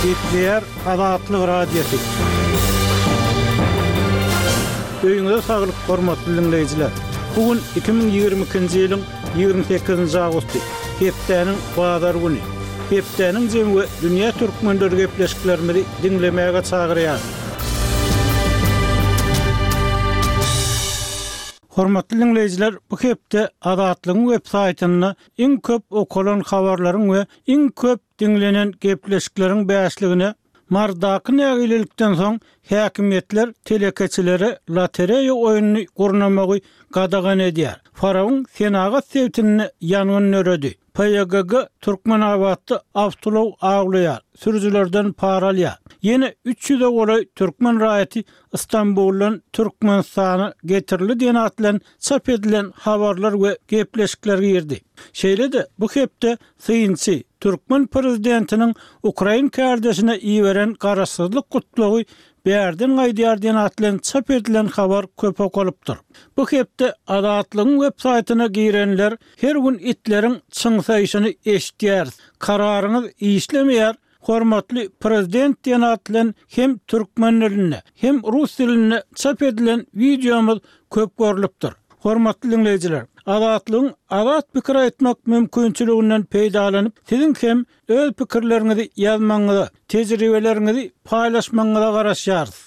Gepleýär Azatlyk Radiosy. Öýüňize saglyk, hormatly diňleýjiler! Bu gün 2022-nji ýylyň 28-nji awgusty, hepdäniň bazar güni. Hepdäniň jemi we dünýä türkmenleri gepleşiklerimizi diňlemäge çagyrýar. Hormatly diňleýjiler, bu hepde Azatlygyň web saýtynda iň köp okalan habarlaryň we iň köp diňlenen gepleşikleriň bäşligine Marydaky nägilelikden soň häkimiýetler telekeçilere lotereýa oýnuny gurnamagy gadagan edýär. Farabyň senagat sebitinde ýangyn döredi. PYGG Türkmenabatda awtoulag awlaýar, sürüjilerden para alýar. Ýene üç ýüze golaý türkmen raýaty Stambuldan Türkmenistana getirildi diýen at bilen çap edilen habarlar we gepleşikler girdi. Şeýle-de bu hepde synçy, türkmen prezidentiniň ukrain kärdeşine iberen garaşsyzlyk gutlagy bärden gaýdýar diýen at bilen çap edilen habar köp okalypdyr. Bu hepde Azatlygyň web saýtyna girenler her gün itleriň çyňsaýşyny eşidýäris. Kararyňyz işlemeýär, Hormatly Prezident diýen at bilen hem türkmen dilinde, hem rus dilinde çap edilen wideomyz köp görlüpdir. Hormatly diňleýjiler, Azatlygyň azat pikir aýtmak mümkinçiliginden peýdalanyp, siziň hem öz pikirleriňizi ýazmagyňyza, tejribeleriňizi paýlaşmagyňyza garaşýarys.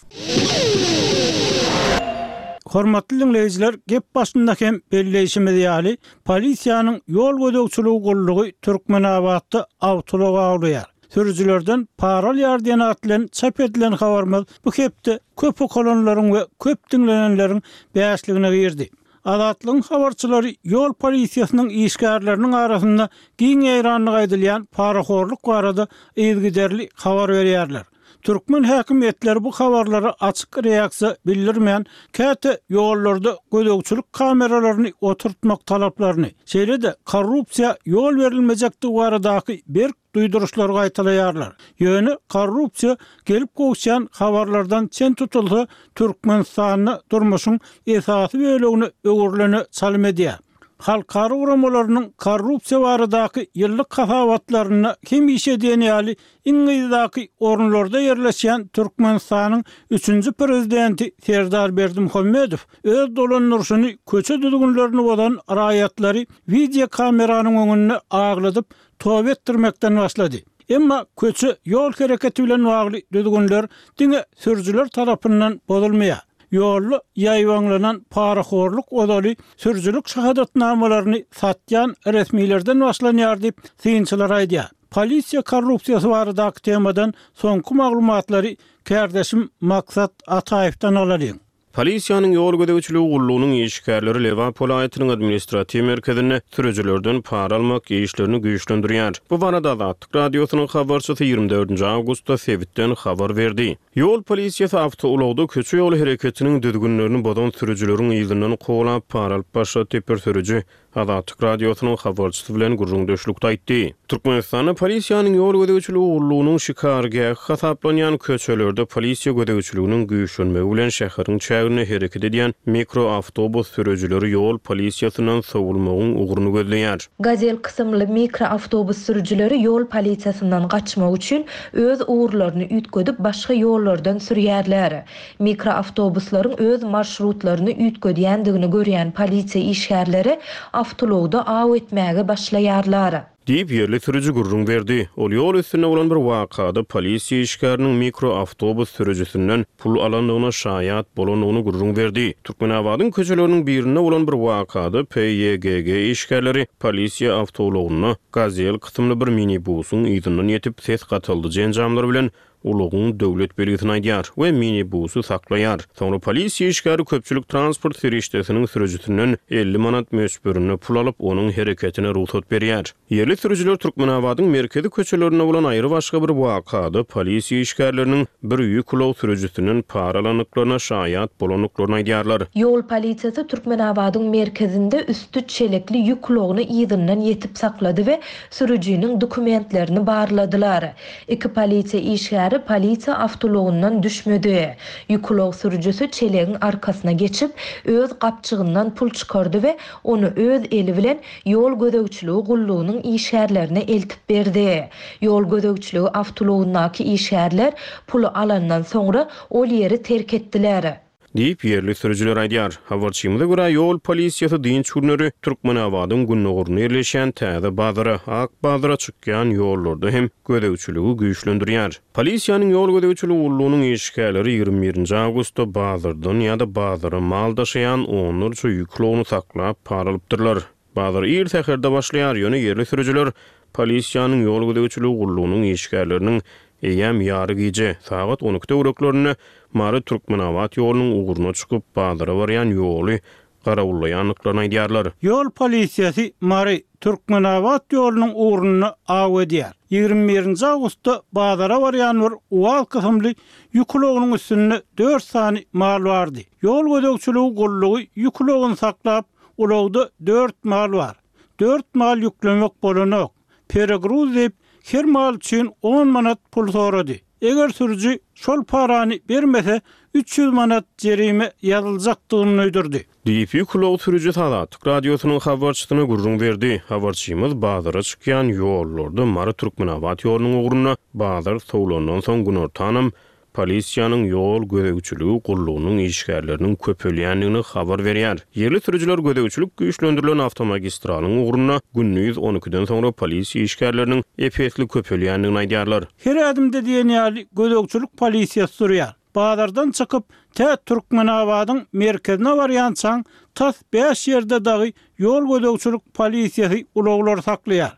Hormatly diňleýjiler, gep başynda hem belleýşimiz ýaly, polisiýanyň ýol gözegçiligi gullugy Türkmenabatda awtoulag awlaýar, sürüjilerden para alýar diýen at bilen çap edilen habarymyz bu hepde köp okalanlaryň we köp diňlenenleriň bäşligine girdi. Azatlygyň habarçylary ýol polisiýasynyň işgärleriniň arasynda giň ýaýrandygy aýdylýan parahorluk barada yzygiderli habar berýärler. Türkmen häkimiýetleri bu habarlara açyk reaksiýa bildirmän, käte ýollarda gözegçilik kameralaryny oturtmak talaplaryny, şeýle-de korrupsiýa ýol berilmejekdigi baradaky berk duýduryşlary gaýtalaýarlar. Ýöne korrupsiýa gelip gowuşýan habarlardan çen tutulsa, Türkmenistanda durmuşyň esasy bölegine öwrülene çalym edýär. Halkara guramalarynyň korrupsiýa baradaky ýyllyk hasabatlarynda hemişe diýen ýaly iň yzdaky orunlarda ýerleşýän Türkmenistanyň üçünji prezidenti Serdar Berdimuhamedow öz dolandyryşyny köçe düzgünlerini bozan raýatlary wideokameranyň öňünde agladyp, toba etdirmekden başlady. Emma köçe ýol hereketi bilen bagly düzgünler diňe sürüjiler tarapyndan bozulmaýar. Ýolda ýaýbaňlanan parahorluk ozaly sürüjilik şahadatnamalaryny satýan resmilerden başlanýar diýip, synçylar aýdýar. Polisiýa korrupsiýasy baradaky temadan soňky maglumatlary kärdeşim Maksat Ataýewden alalyň. Polisiýanyň ýol gözegçiligi gullugynyň işgärleri Lebap welaýatynyň administratiw merkezinde sürüjilerden para almak işlerini güýçlendirýär. Bu barada Azatlyk Radiosynyň habarçysy ýigrimi dördünji awgustda sebitden habar berdi. Ýol polisiýasy awtoulagda köçe-ýol hereketiniň düzgünlerini bozan sürüjileriň yzyndan kowalap, para alyp başlady diýip, bir sürüji Azatlyk Radiosynyň habarçysy bilen gürrüňdeşlikde aýtdy. Türkmenistanda polisiýanyň ýol gözegçiligi gullugynyň şikargähi hasaplanýan köçelerde polisiýa gözegçiliginiň güýçlenmegi bilen şäheriň çäginde hereket edýän mikroawtobus sürüjileri ýol polisiýasyndan sowulmagyň ugruny gözleýär. Gazel kysymly mikroawtobus sürüjileri ýol polisiýasyndan gaçmak üçin öz ugurlaryny üýtgedip başga ýollardan sürýärler. Mikroawtobuslaryň öz marşrutlaryny üýtgedýändigini görýän polisiýa işgärleri awtoulagda aw etmäge başlaýarlar. Diýip, ýerli sürüji gürrüň berdi. Ol ýol üstünde bolan bir wakada polisiýa işgäriniň mikroawtobus sürüjisinden pul alandygyna şaýat bolandygyny gürrüň berdi. Türkmenabadyň köçeleriniň birinde bolan bir wakada PYGG işgärleri polisiýa awtoulagynda Gazel kysymly bir minibusyň yzyndan ýetip, ses gataldyjy enjamlar bilen ulagyň döwlet belgisini aýdýar we minibusy saklaýar. Soňra polisiýa işgäri köpçülik transport serişdesiniň sürüjisinden 50 manat möçberinde pul alyp, onuň hereketine rugsat berýär. Ýerli sürüjiler Türkmenabadyň merkezi köçelerinde bolan aýry-başga bir wakada polisiýa işgärleriniň bir ýük ulag sürüjisinden para alandyklaryna şaýat bolandyklaryny aýdýarlar. Ýol polisiýasy Türkmenabadyň merkezinde üsti çelekli ýük ulagyny yzyndan ýetip saklady we sürüjiniň dokumentlerini barladylar. Iki polisiýa işgäri. işgäri polisiýa awtoulagyndan düşmedi. Ýük ulag sürüjisi çelegiň arkasyna geçip, öz gapjygyndan pul çykardy we ony öz eli bilen ýol gözegçiligi gullugynyň işgärlerine eltip berdi. Ýol gözegçiligi awtoulagyndaky işgärler puly alandan soňra ol ýeri terk etdiler. Diýip, ýerli sürüjiler aýdýar. Habarçymyza görä, ýol polisiýasy dynç günleri Türkmenabadyň gündogarynda ýerleşýän Täze bazara, Ak bazara çykýan ýollarda hem gözegçiligi güýçlendirýär. Polisiýanyň ýol gözegçiligi gullugynyň işgärleri 21 nji awgustda bazardan ýa-da bazara mal daşaýan onlarça ýük ulagyny saklap, para alypdyrlar. Bazar ir säherde başlaýar, ýöne ýerli sürüjiler polisiýanyň ýol gözegçiligi gullugynyň işgärleriniň eýýäm ýary gije, sagat 12 töwereklerinde Mary-Türkmenabat ýolunyň ugruna çykyp, bazara barýan ýoly garawullaýandyklaryny aýdýarlar. Ýol polisiýasy Mary, Türkmenabat ýolunyň ugrunda aw edýär. 21 nji awgustda bazara barýan bir UAZ kysymly ýük ulagynyň üstünde dört sany mal bardy. Ýol gözegçiligi gullugy ýük ulagyny saklap, Ulagda dört mal bar. Dört mal ýüklemek bolanok. Peregruz diýip, her mal üçin on manat pul sorady. Eger sürüji şol parany bermese, 300 manat jerime ýazyljakdygyny duýdurdy. Diýip, ýük ulag sürüjisi Azatlyk Radiosynyň habarçysyna gürrüň berdi. Habarçymyz bazara çykýan ýollarda Mary-Türkmenabat ýolunyň ugrunda bazar sowlandan soň günortanam Polisiýanyň ýol gözegçiligi gullugynyň işgärleriniň köpelýändigini habar berýär. Ýerli sürüjiler gözegçilik güýçlendirilen awtomagistralyň ugrunda gündiz on ikiden soňra polisiýa işgärleriniň ep-esli köpelýändigini aýdýarlar. Her ädimde diýen ýaly gözegçilik polisiýasy durýar. Bazardan çykyp, tä Türkmenabadyň merkezine barýançaň tas bäş ýerde dagy ýol gözegçilik polisiýasy ulaglary saklaýar.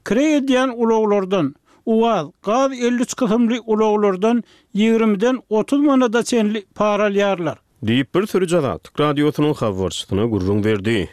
Kireý edýän ulaglardan, UAZ, gaz 53 kysymly ulaglardan ýigrimiden 30 manada çenli para alýarlar. Diýip, bir sürüji Azatlyk Radiosynyň habarçysyna gürrüň berdi.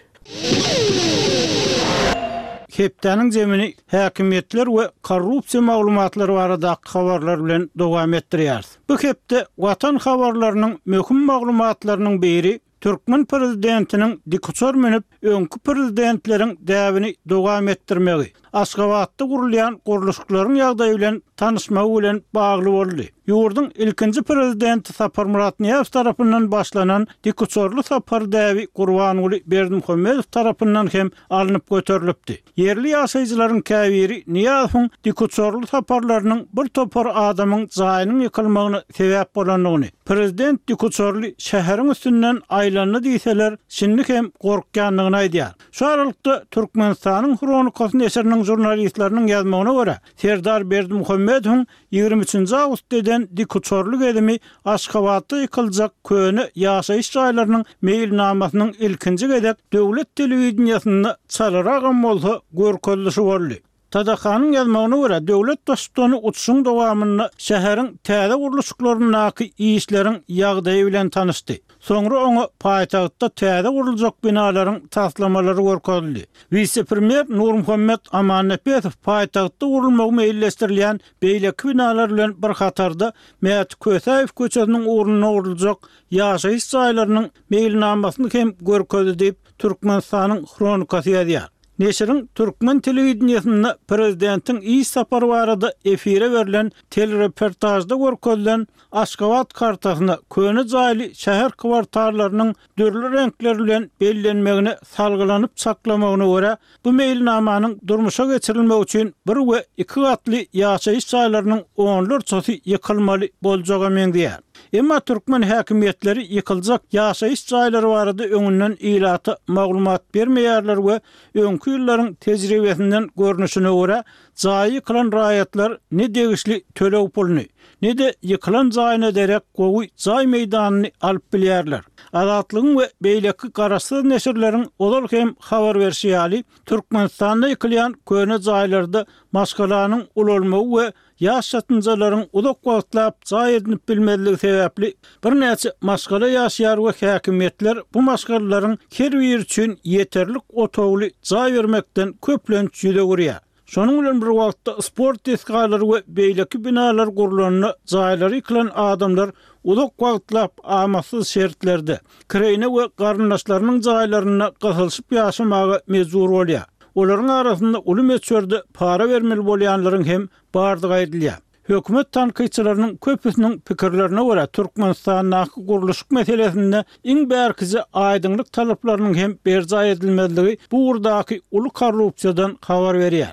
Hepdäniň jemini häkimiýetler we korrupsiýa maglumatlary baradaky habarlar bilen dowam etdirýäris. Bu hepde Watan habarlarynyň möhüm maglumatlarynyň biri Türkmen prezidentiniň dikuçar münüp, öňki prezidentleriň däbini dowam etdirmegi, Aşgabatda gurulýan gurluşyklaryň ýagdaýy bilen tanyşmagy bilen bagly boldy. Ýurduň ilkinji prezidenti Saparmyrat Nyýazow tarapyndan başlanan dikuçarly sapar däbi Gurbanguly Berdimuhamedow tarapyndan hem alnyp göterilipdi. Ýerli ýaşaýjylaryň käbiri Nyýazowyň dikuçarly saparlarynyň bir topar adamyň jaýynyň ýykylmagyna sebäp bolandygyny, prezident dikuçarly şäheriň üstünden aýlandy diýseler, şindi hem gorkýandygyny aýdýar. Şu aralykda, Türkmenistanyň Hronikasy neşiriniň žurnalistleriniň ýazmagyna görä, Serdar Berdimuhamedowyň 23 nji awgustda eden dikuçarly gezimi Aşgabatda ýykyljak köne ýaşaýyş jaýlarynyň meýilnamasynyň ilkinji gezek döwlet telewideniýesinde çalaragam bolsa görkezilişi boldy. TDH-nyň ýazmagyna görä, döwlet Baştutany uçuşyň dowamynda şäheriň täze gurluşyklaryndaky işleriň ýagdaýy bilen tanyşdy. Soňra oňa paýtagtda täze guruljak binalaryň taslamalary görkezildi. Wise-premýer Nurmuhammet Amannepesow paýtagtda gurulmagy meýilleşdirilýän beýleki binalar bilen bir hatarda Mäti Kösäýew köçesiniň ugrunda guruljak ýaşaýyş jaýlarynyň meýilnamasyny hem görkezdi diýip, Türkmenistanyň Hronikasy ýazýar. Neşiriň türkmen telewideniýesinde prezidentiň iş sapary barada efire berlen telereportažda görkezilen Aşgabat kartasyna köne jaýly şäher kwartallarynyň dürli reňkler bilen bellenmegine salgylanyp çaklamagyna görä, bu meýilnamanyň durmuşa geçirilmegi üçin bir we iki gatly ýaşaýyş jaýlarynyň onlarçasy ýykylmaly boljaga meňzeýär. Emma türkmen häkimiýetleri ýykyljak ýaşaýyş jaýlary barada öňünden ilata maglumat bermeýärler we öňki ýyllaryň tejribesinden görnüşine görä, Jaýy ýykylan raýatlar ne degişli töleg puluny, ne-de ýykylan jaýyna derek gowy jaý meýdanyny alyp bilýärler. Azatlygyň we beýleki garaşsyz neşirleriň ozal hem habar berşi ýaly, Türkmenistanda ýykylýan köne jaýlarda maşgalanyň ulalmagy we ýaş çatynjalaryň uzak wagtlap jaý edinip bilmezligi sebäpli birnäçe maşgala ýaşaýar we häkimiýetler bu maşgalalaryň her biri üçin ýeterlik otagly jaý bermekden köplenç ýüz öwürýär. Şonuň bilen bir wagtda sport desgalary we beýleki binalar gurlanda jaýlary ýykylan adamlar uzak wagtlap amatsyz şertlerde, kireýine we garyndaşlarynyň jaýlarynda gysylyşyp ýaşamaga mejbur bolýar. Olaryň arasynda uly möçberde para bermeli bolýanlaryň hem bardygy aýdylýar. Hökümet tankytçylarynyň köpüsiniň pikirlerine görä, Türkmenistandaky gurluşyk meselesinde iň bärkije aýdyňlyk talaplarynyň hem berjaý edilmezligi bu ugurdaky uly korrupsiýadan habar berýär.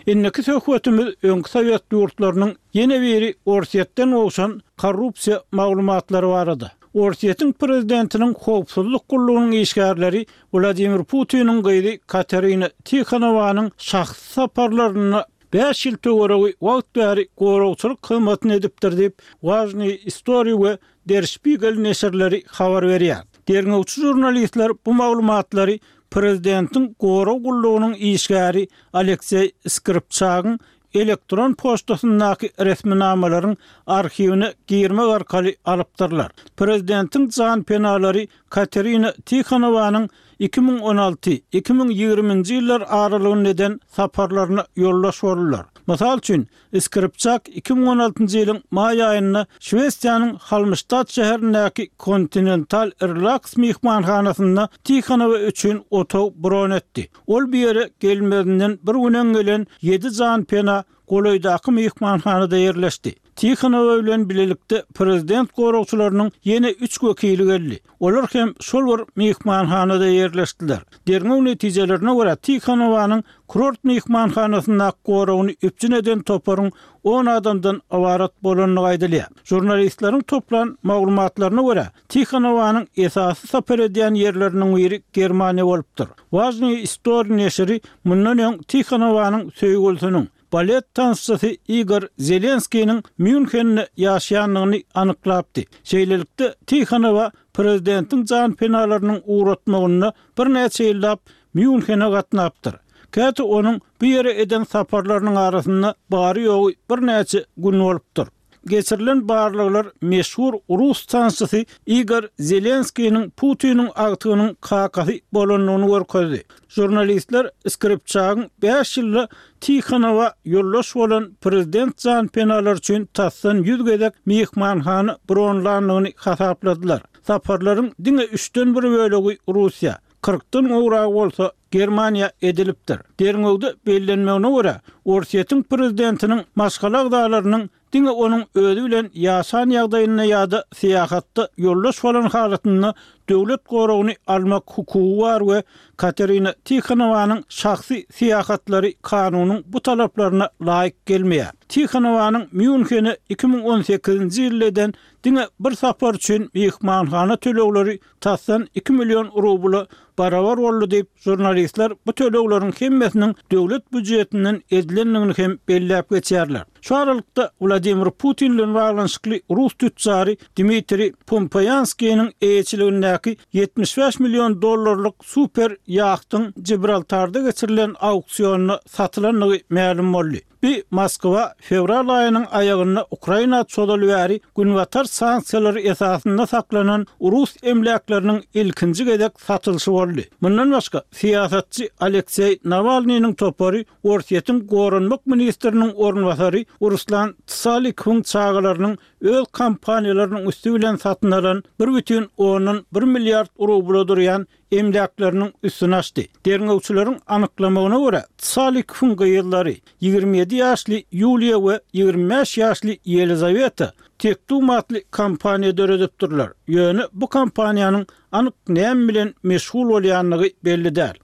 Indiki söhbetimiz öňki sowet ýurtlarynyň ýene biri Orsýetden gowşan korrupsiýa maglumatlary barada. Orsýetiň prezidentiniň howpsuzlyk gullugynyň işgärleri Wladimir Putiniň gyzy Katerina Tihonowanyň şahsy saparlarynda bäş ýyl töweregi wagt bäri goragçylyk hyzmatyny edipdir diýip, Wažnyý istoriý we Der Spiegel neşirleri habar berýär. Derňewçi žurnalistler bu maglumatlary prezidentiň gorag gullugynyň işgäri Alekseý Skripçagyň elektron poçtasyndaky resminamalaryň arhiwine girmek arkaly alypdyrlar. Prezidentiň janpenalary Katerina Tihonowanyň 2016, 2020-nji ýyllar aralygynda eden saparlaryna ýoldaş boldular. Mysal üçin, Skripçak 2016-njy ýylyň maý aýynda Şwesiýanyň Halmstad şäherindäki Kontinental Relax myhmanhanasynda Tihonowa üçin otag bron etdi. Ol bu ýere gelmezinden bir gün öň gelen ýedi janpena golaýdaky myhmanhanada ýerleşdi. Tihonowa bilen bilelikde prezident goragçylarynyň ýene üç wekili geldi. Olar hem şol bir myhmanhanada ýerleşdiler. Derňew netijelerine görä, Tihonowanyň kurort myhmanhanasyndaky goragyny üpjün eden toparyň on adamdan ybarat bolandygy aýdylýar. Žurnalistleriň toplan maglumatlaryna görä, Tihonowanyň esasy sapar edýän ýerleriniň biri Germaniýa bolupdyr. Wažnyý istoriý neşiri mundan öň Tihonowanyň söýgülisiniň, balet tansçysy Igor Zelenskiniň Mýunhende ýaşaýandygyny anyklapdy. Şeýlelikde, Tihonowa prezidentiň janpenalarynyň ugratmagynda birnäçe ýyllap Mýunhene gatnapdyr. Käte onuň bu ýere eden saparlarynyň arasynda bary-ýogy birnäçe gün bolupdyr. Geçirilen barlaglar meşhur rus tansçysy Igor Zelenskiniň Putiniň agtygynyň kakasy bolandygyny görkezdi. Žurnalistler Skripçagyň bäş ýylda Tihonowa ýoldaş bolan prezident janpenalary üçin tasdan ýüz gezek myhmanhana bronlandygyny hasapladylar. Saparlaryň diňe üçden bir bölegi Russiýa, kyrkdan gowragy bolsa Germaniýa edilipdir. Derňewde bellenmegine görä, Orsýetiň prezidentiniň maşgala agzalarynyň diňe onuň özi bilen ýaşan ýagdaýynda ýa-da syýahatda ýoldaş bolan halatynda döwlet goragyny almak hukugy bar we Katerina Tihonowanyň şahsy syýahatlary kanunyň bu talaplaryna laýyk gelmeýär. Tihonowanyň Mýunhene 2018-nji ýylda eden diňe bir sapar üçin myhmanhana tölegleri tasdan iki million rubla barabar boldy diýip, žurnalistler bu tölegleriň hemmesiniň döwlet býujetinden edilendigini hem belläp geçýärler. Şu aralykda, Wladimir Putin bilen baglanyşykly rus tütjary Dmitriý Pumpoýanskiniň eýeçiligindäki 75 million dollarlyk super ýahtyň Jibraltarda geçirilen auksionda satylandygy mälim boldy. Bi Moskwa fewral aýynyň aýagynda Ukraina çozaly bäri Günbatar sanksiýalary esasynda saklanan rus emläkleriniň ilkinji gezek satylyşy boldy. Mundan başga, syýasatçy Alekseý Nawalnynyň topary Orsýetiň goranmak ministriniň orunbasary Ruslan Tsalikowyň çagalarynyň öz kompaniýalarynyň üsti bilen satyn alan bir bütin ondan bir milliard rubla durýan emläkleriniň üstüni açdy. Derňewçileriň anyklamagyna görä, Tsalikowyň gyzlary, 27 ýaşly Ýuliýa we 25 ýaşly Ýelizaweta Tektum atly kompaniýa döredipdirler, ýöne bu kompaniýanyň anyk näme bilen meşgul bolýandygy belli däl.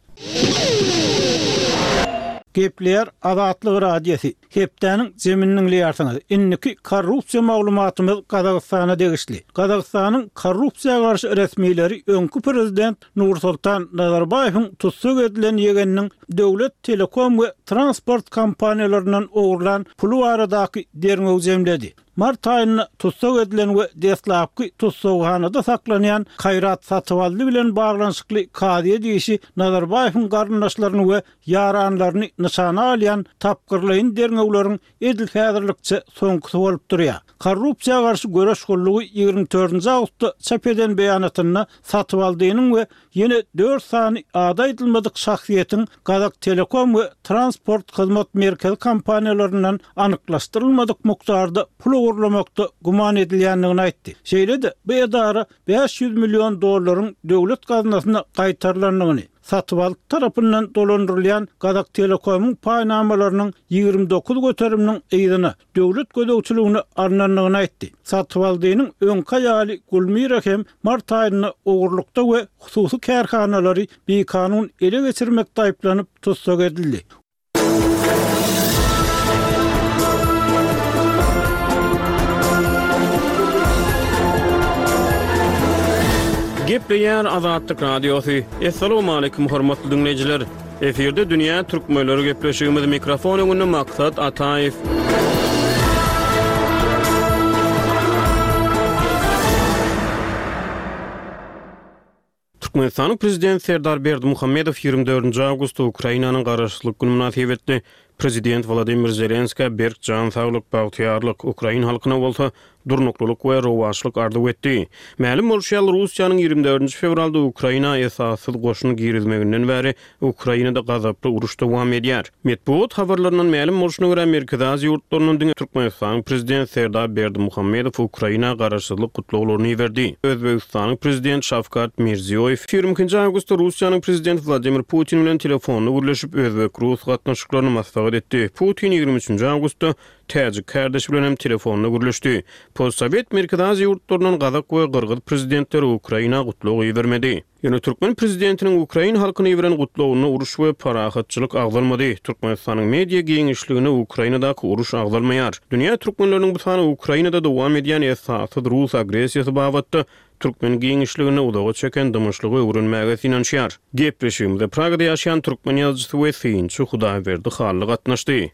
Gepleýär Azatlyk Radiosy. Hepdäniň jemini diňleýärsiňiz. Indiki korrupsiýa maglumatymyz Gazagystana degişli. Gazagystanyň korrupsiýa garşy resmileri öňki prezident Nursultan Nazarbaýewiň tussag edilen ýegeniniň döwlet telekom we transport kompaniýalaryndan ogurlan puly baradaky derňewi jemledi. Mart aýynda tussag edilen we deslapky tussaghanada saklanýan Kaýrat Satybaldy bilen baglanyşykly kazyýet işi Nazarbaýewiň garyndaşlaryny we ýaranlaryny nyşana alýan tapgyrlaýyn derňewleriň edil häzirlikçe soňkusy bolup durýar. Korrupsiýa garşy göreş gullugy 24 nji awgustda çap eden beýanatynda Satybaldynyň we ýene dört sany ady aýdylmadyk şahsyýetiň Gazaktelekom we Transport hyzmat merkezi kompaniýalaryndan anyklaşdyrylmadyk mukdarda pul ogurlamakda güman edilýändigini aýtdy. Şeýle-de, bu edara 500 million dollaryň döwlet gaznasyna gaýtarylandygyny, Satybaldy tarapyndan dolandyrylýan Gazaktelekomyň paýnamalarynyň 29 göteriminiň yzyna, döwlet gözegçiligine alnandygyny aýtdy. Satybaldynyň öňki aýaly Gulmira hem mart aýynda ogurlykda we hususy kärhanalary bikanun ele geçirmekde aýyplanyp tussag edildi. Gepleýär Azatlyk Radiosy. Assalamualaikum hormatly diňleýjiler. Efirde dünýä türkmenleri gepleşigimiz mikrofon öňünde Maksat Ataýew. Türkmenistanyň Prezidenti Serdar Berdimuhamedow 24 awgustda Ukrainanyň Garaşsyzlyk güni mynasybetli Prezident Wladimir Zelenskä berk jan saglyk, bagtyýarlyk, ukrain halkyna bolsa durnuklylyk we rowaçlyk arzuw etdi. Mälim bolşy ýaly, Russiýanyň 24 fewralda Ukraina esassyz goşun girizmeginden bäri Ukrainada gazaply uruş dowam edýär. Metbugat habarlaryndan mälim bolşuna görä, Merkezi Aziýa ýurtlaryndan diňe Türkmenistanyň Prezidenti Serdar Berdimuhamedow Ukraina garaşsyzlyk gutlaglaryny iberdi. Özbegistanyň Prezidenti Şawkat Mirziýoýew 22-nji awgustda Russiýanyň Prezidenti Wladimir Putin bilen telefonda gürleşip, özbek-rus gatnaşyklaryny maslahat etdi. Putin 23-nji awgustda täjik kärdeşi bilen hem telefonda gürleşdi. Postsowet Merkezi Aziýa ýurtlaryndan gazak we gyrgyz prezidentleri Ukraina gutlag ibermedi. Ýöne türkmen prezidentiniň ukrain halkyna iberen gutlagynda uruş we parahatçylyk agzalmady. Türkmenistanyň media giňişliginde Ukrainadaky uruş agzalmaýar. Dünýä türkmenleriniň bu sany Ukrainada dowam edýän esassyz rus agressiýasy babatda türkmen giňişliginde uzaga çeken dymyşlygy öwrenmäge synanyşýar. Gepleşigimize Pragada ýaşaýan türkmen ýazyjysy we synçy Hudaýberdi Hally gatnaşdy.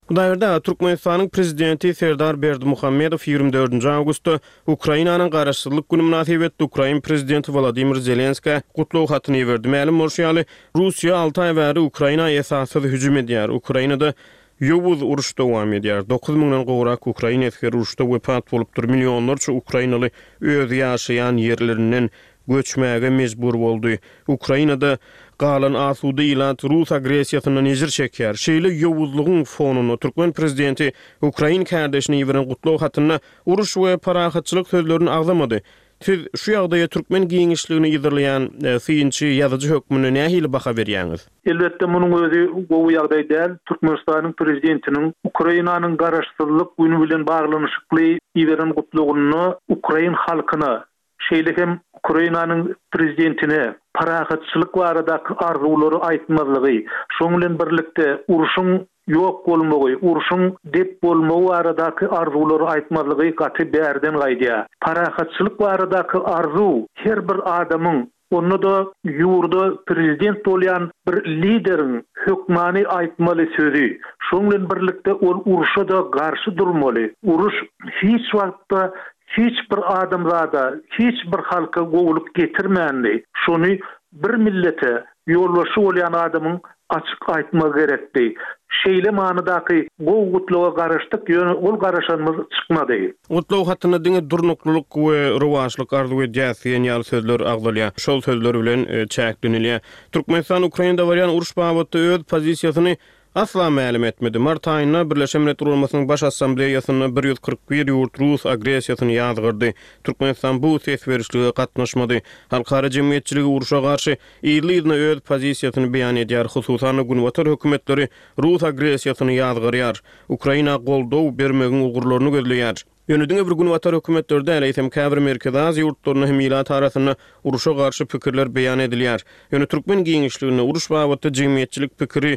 Hudaýberdi aga, Türkmenistanyň Prezidenti Serdar Berdimuhamedow 24-nji awgustda Ukrainanyň Garaşsyzlyk güni mynasybetli ukrain Prezidenti Wolodymyr Zelenskä gutlag hatyny iberdi. Mälim bolşy ýaly, Russiýa alty aý bäri Ukraina esassyz hüjüm edýär. Ukrainada ýowuz uruş dowam edýär. Dokuz müňden gowrak ukrain esgeri uruşda wepat bolupdyr, millionlarça ukrainaly öz ýaşaýan ýerlerinden göçmäge mejbur boldy. Ukrainada galan asuda ilat rus agressiýasyndan ejir çekýär. Şeýle ýowuzlygyň fonunda türkmen prezidenti ukrain kärdeşine iberen gutlag hatynda uruş we parahatçylyk sözlerini agzamady. Siz şu ýagdaýa türkmen giňişligini yzarlaýan synçy, ýazyjy hökmünde nähili baha berýäňiz? Elbetde, munuň özi gowy ýagdaý däl. Türkmenistanyň Prezidentiniň Ukrainanyň Garaşsyzlyk güni bilen baglanyşykly iberen gutlagynda ukrain halkyna şeýle hem Ukrainanyň Prezidentine parahatçylyk baradaky arzuwlary aýtmazlygy, şonuň bilen birlikde urşuň ýok bolmagy, urşuň dep bolmagy baradaky arzuwlary aýtmazlygy gaty bärden gaýdýar. Parahatçylyk baradaky arzuw her bir adamyň, onda-da ýurda prezident bolýan bir lideriň hökmany aýtmaly sözi. Şonuň bilen birlikde ol urşa-da garşy durmaly. Uruş hiç wagtda Hiç bir adamzada, hiç bir halka gowulyk getirmändi. Şony bir millete ýolbaşçy bolýan adamyň açyk aýtmagy gerekdi. Şeýle manydaky gowy gutlaga garaşdyk, ýöne ol garaşanymyz çykmady. Gutlag hatynda diňe durnuklylyk we rowaçlyk arzuw edýäs diýen ýaly sözler agzalýar. Şol sözler bilen çäklenilýär. Türkmenistan Ukrainada barýan uruş babatda öz pozisiýasyny Asla mälim etmedi. Mart aýynda Birleşen Milletler Guramasynyň Baş Assambleýasynda 141 ýurt rus agressiýasyny ýazgardy. Türkmenistan bu ses berişlige gatnaşmady. Halkara jemgyýetçiligi urşa garşy yzly-yzyna öz pozisiýasyny beýan edýär, hususan-da günbatar hökümetleri rus agressiýasyny ýazgarýar, Ukraina goldaw bermegiň ugurlaryny gözleýär. Ýöne diňe bir günbatar hökümetleri däl, eýsem käbir Merkezi Aziýa ýurtlarynda hem ilat arasynda urşa garşy pikirler beýan edilýär. Ýöne türkmen giňişliginde uruş babatda jemgyýetçilik pikiri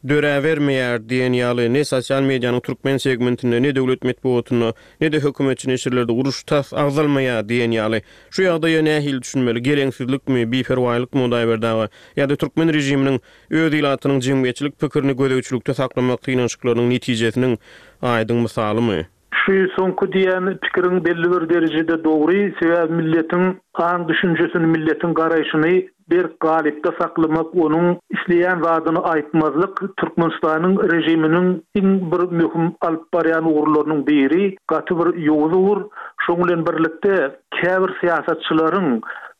döräbermeýär diýen ýaly, ne sosial medianyň türkmen segmentinde, ne döwlet metbugatynda, ne-de hökümetçi neşirlerde uruş tas agzalmaýar diýen ýaly. Şu ýagdaýa nähili düşünmeli? Geleňsizlikmi, biperwaýlykmy Hudaýberdi aga? Ýa-da türkmen režiminiň öz ilatynyň jemgyýetçilik pikirini gözegçilikde saklamak synanyşyklarynyň netijesiniň aýdyň mysalymy? Şu soňky diýen pikiriň belli bir derejede dogry, sebäbi milletiň aň-düşünjesini, milletiň garaýşyny berk galypda saklamak, onuň isleýän zadyny aýtmazlyk Türkmenistanyň režiminiň iň bir möhüm alyp barýan ugurlarynyň biri, gaty bir ýowuz ugur. Şoň bilen birlikde, käbir syýasatçylaryň.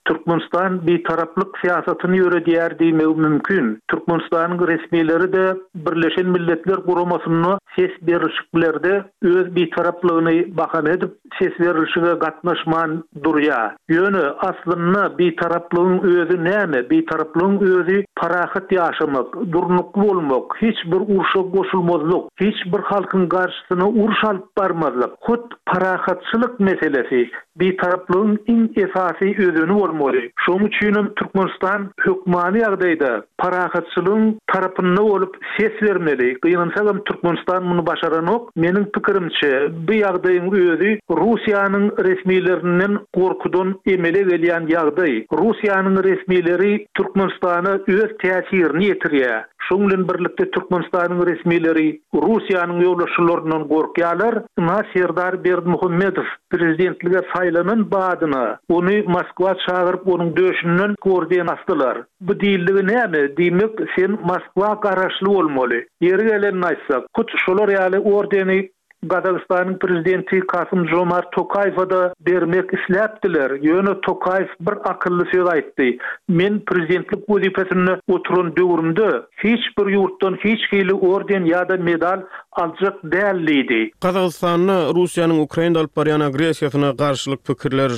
Türkmenistan bitaraplyk syýasatyny ýöredýär diýmegi mümkin. Türkmenistanyň resmileri-de Birleşen Milletler Guramasynda ses berlişiklerde öz bitaraplygyny bahana edip, ses berlişige gatnaşman durýar. Ýöne, aslynda, bitaraplygyň özi näme? Bitaraplygyň özi parahat ýaşamak, durnukly bolmak, hiç bir urşa goşulmazlyk, hiç bir halkyň garşysyna uruş alyp barmazlyk. Hut parahatçylyk meselesi Bitaraplygyň iň esasy özeni bolmaly. Şonuň üçinem Türkmenistan hökmany ýagdaýda parahatçylygyň tarapynda bolup ses bermeli. Gynansagam Türkmenistan muny başaranok. Meniň pikirimçe, bu ýagdaýyň özi Russiýanyň resmilerinden gorkudan emele gelýän ýagdaý. Russiýanyň resmileri Türkmenistana öz täsirini ýetirýär. Şonuň bilen birlikde Türkmenistanyň resmileri Russiýanyň ýolbaşçylaryndan gorkýarlar. Ynha Serdar Berdimuhamedow prezidentlige saýlanan badyna ony Moskwa çagyryp onuň döşünden orden asdylar. Bu diýildigi näme? Diýmek sen Moskwa garaşly bolmaly. Ýeri gelende aýtsak, hut şolar ýaly ordeni Gazagystanyň prezidenti Kasym-Žomart Tokaýewe-da bermek isläpdiler, ýöne Tokaýew bir akylly söz aýtdy, Men prezidentlik wezipesinde oturan döwrümde hiç bir ýurtdan hiç hili orden ýa-da medal aljak däl diýdi. Gazagystanda Russiýanyň Ukrainada alyp barýan agressiýasyna garşylyk pikirler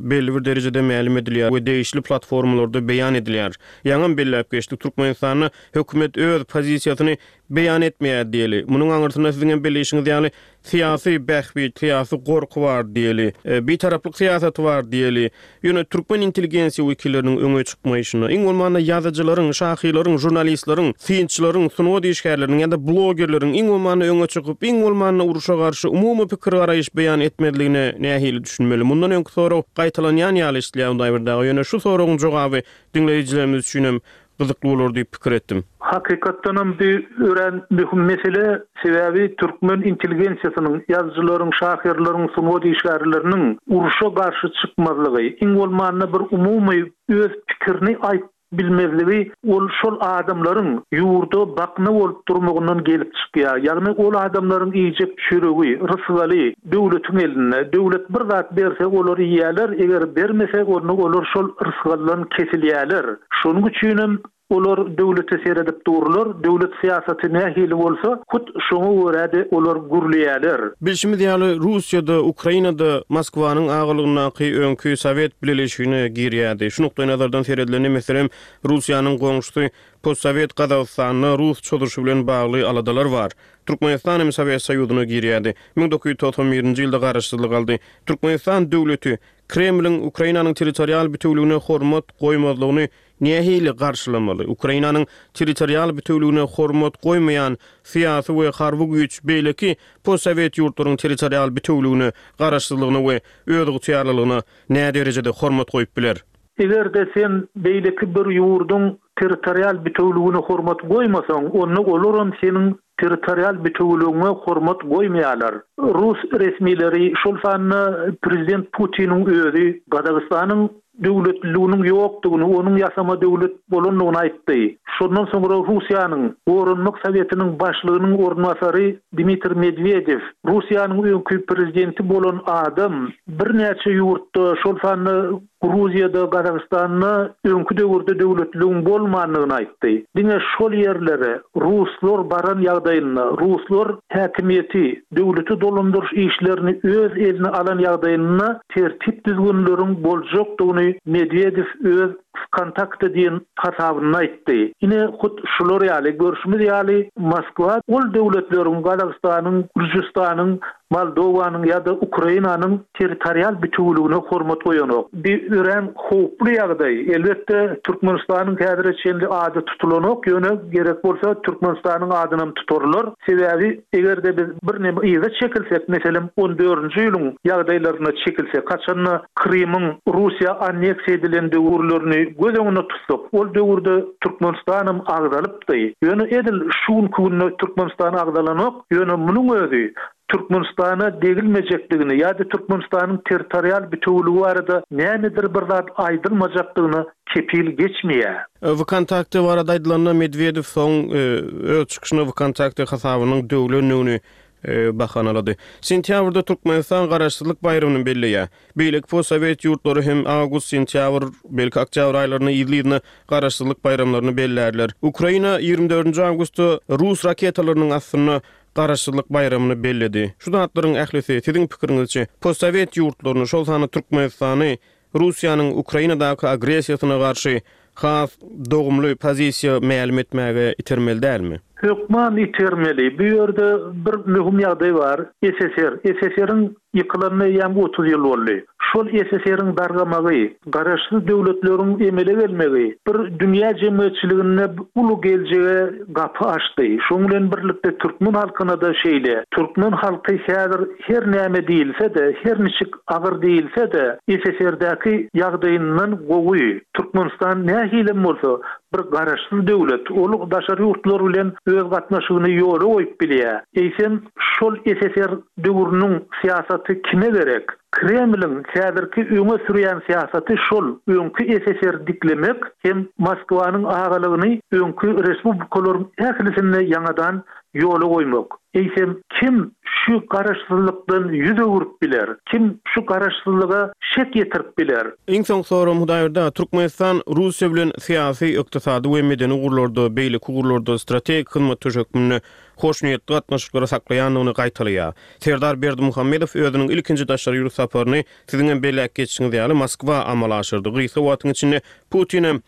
belli bir derejede mälim edilýär we degişli platformalarda beýan edilýär. Ýaňam belläp geçdik, Türkmenistanda hökümet öz pozisiýasyny beýan etmeýär diýeli. Munuň aňyrsynda siziň hem belleýşiňiz ýaly syýasy bähbit, syýasy gorky bar diýeli. Bitaraplyk syýasaty bar diýeli. Ýöne türkmen intelligensiýa wekilleriniň öňe çykmaýşyna, iň bolmanda ýazyjylaryň, şahyrlaryň, žurnalistleriň, synçylaryň, sungat işgärleriniň ýa-da blogerleriň iň bolmanda öňe çykyp, iň bolmanda urşa garşy umumy pikir-garaýyş beýan etmezligine nähili düşünmeli? Mundan öňki sorag gaýtalanýan ýaly eşidilýär Hudaýberdi aga, ýöne şu soragyň jogaby diňleýjilerimiz üçinem gyzykly bolar diýip pikir etdim. Hakykatdanam bu örän möhüm mesele, sebäbi türkmen intelligensiýasynyň, ýazyjylaryň, şahyrlaryň, sungat işgärleriniň urşa garşy çykmazlygy, iň bolmanda bir umumy öz pikirini aýtp bilmezligi ol şol adamlaryň ýurda bakna bolup durmagyndan gelip çykýar. Ýagny ol adamlaryň iýjek çöregi, rysgaly döwletiň elinde. Döwlet bir zat berse olar iýýärler, eger bermese onda olar şol rysgaldan kesilýärler. Şonuň üçinem olar döwlete seredip durlar, döwlet syýasaty nähili bolsa, hut şoňa görä-de olar gürleýärler. Bilşimiz ýaly, Russiýa-da, Ukraina-da Moskwanyň agalygyndaky öňki Sowet Bileleşigine girýärdi. Şu nukdaýnazardan seredilende, meselem, Russiýanyň goňşusy postsowet Gazagystanda rus çozuşy bilen bagly aladalar bar. Türkmenistan hem Sowet Soýuzyna girýärdi. 1991-nji ýylda garaşsyzlyk aldy. Türkmenistan döwleti Kremliň Ukrainanyň territorial bitewüligine hormat goýmazlygyny nähili garşylamaly? Ukrainanyň territorial bitewüligine hormat goýmaýan syýasy we harby güýç beýleki postsowet ýurtlaryň territorial bitewüligine, garaşsyzlygyna we özygtyýarlylygyna näderejede hormat goýup biler? Eger-de sen beýleki bir ýurduň territorial bitewüligine hormat goýmasaň, onda olaram seniň territorial bitewüligiňe hormat goýmaýarlar. Rus resmileri, şol sanda prezident Putiniň özi Gazagystanyň döwletliliginiň ýokdugyny, onuň ýasama döwlet bolandygyny aýtdy. Şondan soňra Russiýanyň Goranmak sowetiniň başlygynyň orunbasary Dmitriý Medwedew, Russiýanyň öňki prezidenti bolan adam, birnäçe ýurtda, şol sanda Gruziýada, Gazagystanda öňki döwürde döwletliligiň bolmandygyny aýtdy. Diňe şol ýerlere ruslar baran ýagdaýynda, ruslar häkimiýeti, döwleti dolandyryş işlerini öz eline alan ýagdaýynda tertip-düzgünleriň boljakdygyny Medwedew öz Wkontakte diýen hasabynda aýtdy. Ine, hut şular ýaly, görşümiz ýaly, Moskwa ol döwletleriň, Gazagystanyň, Gürjüstanyň, Moldowanyň ýa-da Ukrainanyň territorial bitewüligine hormat goýanok. Bi örän howply ýagdaý. Elbetde, Türkmenistanyň häzire çenli ady tutulanok, ýöne gerek bolsa Türkmenistanyň adynam tutarlar. Sebäbi, eger-de biz birneme yza çekilsek, meselem, on dördünji ýylyň ýagdaýlaryna çekilsek, haçanda Krymyň Russiýa anneksiýa edilen döwürlerini göz öňünde tutsak, ol döwürde Türkmenistanam agzalypdy. Ýöne edil şu günki günde Türkmenistan agzalanok, ýöne munuň özi Türkmenistana degilmejekdigini ýa-da Türkmenistanyň territorial bitewüligi barada nämedir bir zat aýdylmajakdygyna kepil geçmeýär. Wkontakte barada aýdylanda, Medwedew soň öz çykyşynda Wkontakte hasabynyň döwlendigini. bahanalady. Sentýabrda Türkmenistan Garaşsyzlyk baýramyny belleýär. Beýleki postsowet ýurtlary hem awgust, sentýabr, belki oktýabr aýlarynda yzly-yzyna Garaşsyzlyk baýramlaryny bellärler. Ukraina 24 dördünji awgustda rus raketalarynyň astynda Garaşsyzlyk baýramyny belledi. Şu zatlaryň ählisi, siziň pikiriňizçe, postsowet ýurtlaryny, şol sanda Türkmenistany Russiýanyň Ukrainadaky agressiýasyna garşy has dogumly pozisiýa mälim etmäge itermeli dälmi? Hökman itermeli. Bu ýerde bir möhüm ýagdaý bar. SSR. SSR-iň ýykylanyna eýýäm 30 ýyl boldy. Şol SSR-iň dargamagy, garaşsyz döwletleriň emele gelmegi bir dünýä jemgyýetçiliginde uly geljege gapy açdy. Şoň bilen birlikde türkmen halkyna-da şeýle. Türkmen halky häzir her näme diýilse-de, her niçik agyr diýilse-de, SSR-däki ýagdaýyndan gowy. Türkmenistan nähilem bolsa, bir garaşsyz döwlet. Ol daşary ýurtlar bilen öz gatnaşygyny ýola goýup bilýär. Eýsem, şol SSR döwrüniň syýasaty kime gerek? Kremliň häzirki öňe sürýän syýasaty şol öňki SSR diklemek hem Moskwanyň agalygyny öňki respublikalaryň ählisinde ýaňadan ýola goýmak. Eýsem, kim şu garaşsyzlykdan ýüz öwrüp biler? Kim şu garaşsyzlyga şek ýetirip biler? Iň soňky soragym Hudaýberdi aga, Türkmenistan Russiýa bilen syýasy, ykdysady we medeni ugurlarda, beýleki ugurlarda strategik hyzmatdaş hökmünde hoşniýetli gatnaşyklary saklaýandygyny gaýtalaýar. Serdar Berdimuhamedow özüniň ilkinji daşary ýurt saparyny, siziň hem belläp geçişiňiz ýaly, Moskwa amala aşyrdy. Gysga wagtyň içinde Putinem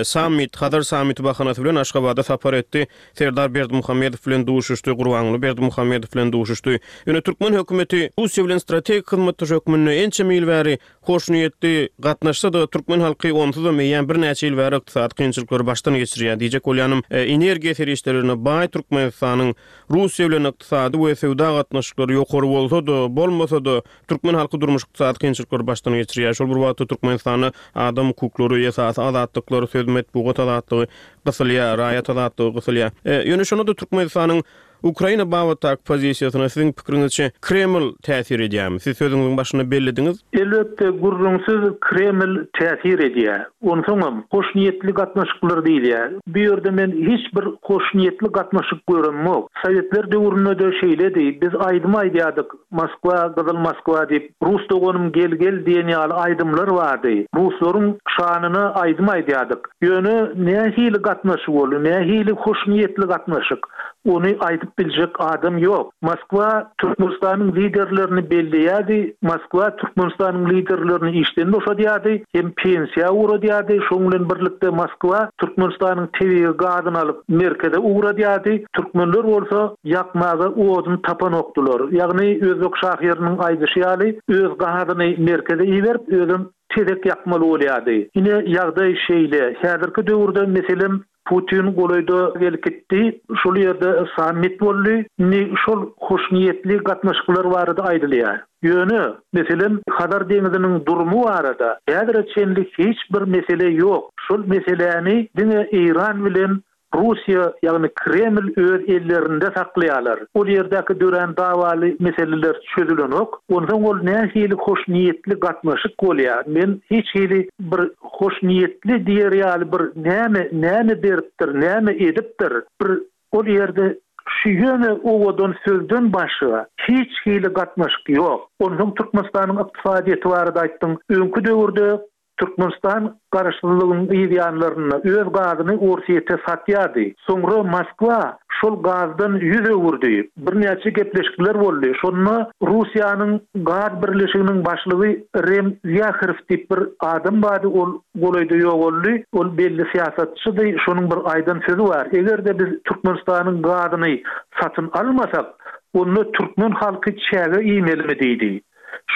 sammit, Hazar sammiti bahanasy bilen Aşgabada sapar etdi. Serdar Berdimuhamedow bilen duşuşdy, Gurbanguly Berdimuhamedow bilen duşuşdy. Ýöne türkmen hökümeti Russiýa bilen strategik hyzmatdaş hökmünde ençeme ýyl bäri hoşniýetli gatnaşsa-da, türkmen halky onsuzam eýýäm birnäçe ýyl bäri ykdysady kynçylyklary başdan geçirýär. Diýjek bolýanym, energiýa serişdelerine baý Türkmenistanyň Russiýa bilen ykdysady we söwda gatnaşyklary ýokary bolsa-da, bolmasa-da, Türkmen halky durmuş-ykdysady kynçylyklary başdan geçirýär. Şol bir wagtda Türkmenistanda adam hukuklary, esasy azatlyklar, söz, metbugat azatlygy gysylýar, raýat azatlygy gysylýar. Ýöne şonda-da Türkmenistanyň Ukraina babatdaky pozisiýasyna siziň pikiriňizçe Kreml täsir edýärmi? Siz sözüňiziň başynda bellediňiz. Elbetde, gürrüňsiz Kreml täsir edýär. Onsoňam, hoşniýetli gatnaşyklar diýilýär. Bu ýerde men hiç bir hoşniýetli gatnaşyk göremok. Sowetler döwründe-de şeýledi. Biz aýdym aýdýardyk. Moskwa, gyzyl Moskwa diýip, Rus doganym gel-gel diýen ýaly aýdymlar bardy. Ruslaryň şanyna aýdym aýdýardyk. Ýöne nähili gatnaşyk ol, nähili hoşniýetli gatnaşyk, ony aýdyp biljek adam ýok. Moskwa Türkmenistanyň liderlerini belleýärdi, Moskwa Türkmenistanyň liderlerini işden boşadýardy hem pensiýa ugradýardy, şonuň bilen birlikde Moskwa Türkmenistanyň tebigy gazyny alyp merkeze ugradýardy, türkmenler bolsa ýakmaga odun tapanokdylar. Ýagny özbek şahyrynyň aýdyşy ýaly, öz gazyny merkeze iberip, özem tezek ýakmaly bolýardy. Ine, ýagdaý şeýle. Häzirki döwürde, meselem, Putin golaýda gelip gitdi, şol ýerde sammit boldy. Indi şol hoşniýetli gatnaşyklar barada aýdylýar. Ýöne, meselem, Hazar deňziniň durumy barada häzire çenli hiç bir mesele ýok. Şol meseläni diňe Eýran bilen Russiýa, ýagny Kreml öz ellerinde saklaýarlar. Ol ýerdäki dörän dawaly meseleler çözülenok. Onsoň ol nähili hoşniýetli gatnaşyk bolýar? Men hiç hili bir hoşniýetli diýer ýaly bir näme, näme beripdir, näme edipdir? Bir ol ýerde şu ýöne owadan sözden başga hiç hili gatnaşyk ýok. Onsoň Türkmenistanyň ykdysadyýeti barada aýtdyň. Öňki döwürde Türkmenistan garaşsyzlygyň yz ýanlarynda öz gazyny Orsýete satýardy. Soňra Moskwa şol gazdan ýüz öwürdi. Birnäçe gepleşikler boldy. Şonda Russiýanyň gaz birleşiginiň başlygy Rem Wýaherow diýip bir adam bardy, ol golaýda ýogaldy. Ol belli syýasatçydy. Şonuň bir aýdan sözi bar, Eger-de biz Türkmenistanyň gazyny satyn almasak, onda türkmen halky çäge iýmelimi diýdi.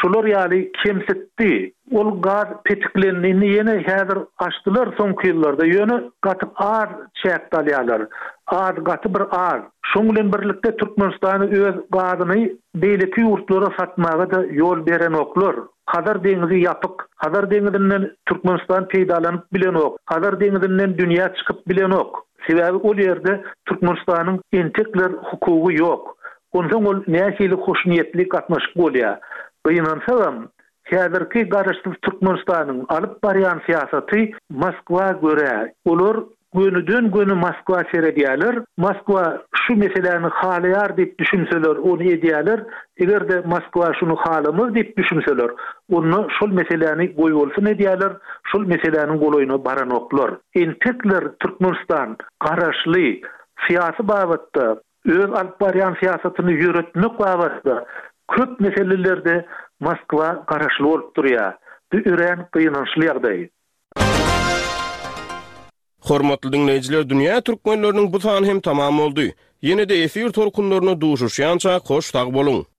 Şular ýaly kemsitdi. Ol gaz petiklendi. Indi ýene häzir açdylar soňky ýyllarda. Ýöne gaty az çäkde alýarlar. Az, gaty bir az. Şoň bilen birlikde Türkmenistana öz gazyny beýleki ýurtlara satmaga-da ýol berenoklar. Hazar deňizi ýapyk. Hazar deňizinden Türkmenistan peýdalanyp bilenok. Hazar deňizinden dünýä çykyp bilenok. Sebäbi ol ýerde Türkmenistanyň entekler hukugy ýok. Onsoň ol nähili hoşniýetli gatnaşyk bolýar? Gynansagam, häzirki garaşsyz Türkmenistanyň alyp barýan syýasaty Moskwa görä. Olar. Gönüden-göni Moskwa seredýärler. Moskwa şu meseläni halaýar diýip düşünseler, ony edýärler. Eger-de Moskwa şuny halamaz diýip düşünseler, onda şol meseläni goýbolsun edýärler, şol meseläniň golaýyna baranoklar. Entekler Türkmenistan garaşly, syýasy babatda, öz alyp barýan syýasatyny ýöretmek babatda köp meselelerde Moskwa garaşly bolup durýar. Bu örän gynançly ýagdaý. Hormatly diňleýjiler Dünýä Türkmenleriniň bu sany hem tamam boldy. Ýene-de efir tolkunlarynda duşuşýançak hoş sag boluň!